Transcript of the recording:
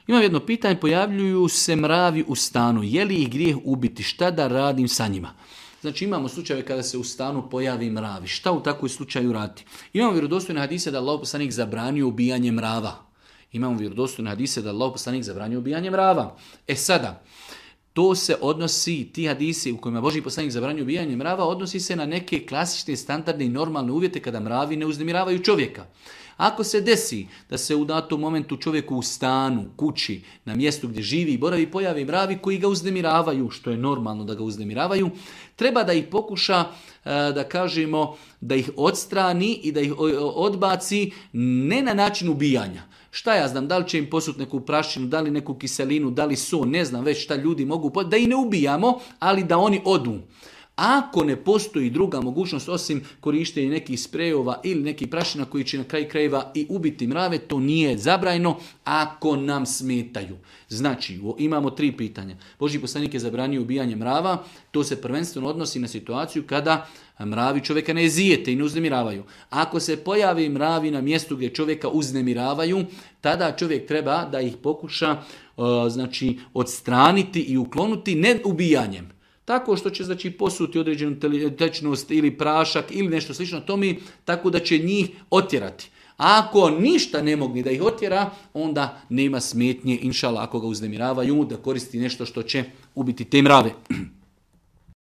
Imam jedno pitanje, pojavljuju se mravi u stanu. Je li ih grijeh ubiti? Šta da radim sa njima? Znači imamo slučajeve kada se u stanu pojavi mravi. Šta u takvoj slučaju raditi? Imamo vjerodostojne hadise da Allahov poslanik zabranio ubijanje mrava. Imamo vjerodostojne hadise da Allahov poslanik zabranio ubijanje mrava. Sada, to se odnosi, ti hadisi u kojima Božji poslanik zabranio ubijanje mrava, odnosi se na neke klasične, standardne i normalne uvjete kada mravi ne uznemiravaju čovjeka. Ako se desi da se u datom momentu čovjeku u stanu, kući, na mjestu gdje živi i boravi pojavi mravi koji ga uznemiravaju, što je normalno da ga uznemiravaju, treba da ih pokuša, da kažemo, da ih odstrani i da ih odbaci ne na način ubijanja. Šta ja znam, da li će im posuti neku prašinu, da li neku kiselinu, da li so, ne znam već šta ljudi mogu, da ih ne ubijamo, ali da oni odu. Ako ne postoji druga mogućnost osim korištenja nekih sprejova ili nekih prašina koji će na kraju krajeva i ubiti mrave, to nije zabranjeno ako nam smetaju. Znači, imamo 3 pitanja. Božji poslanik je zabranio ubijanje mrava, to se prvenstveno odnosi na situaciju kada mravi čovjeka ne zijete i ne uznemiravaju. Ako se pojavi mravi na mjestu gdje čovjeka uznemiravaju, tada čovjek treba da ih pokuša odstraniti i uklonuti ne ubijanjem. Tako što će posuti određenu tečnost ili prašak ili nešto slično tome, tako da će njih otjerati. A ako ništa ne mogne da ih otjera, onda nema smetnje, inšala, ako ga uznemiravaju, da koristi nešto što će ubiti te mrave.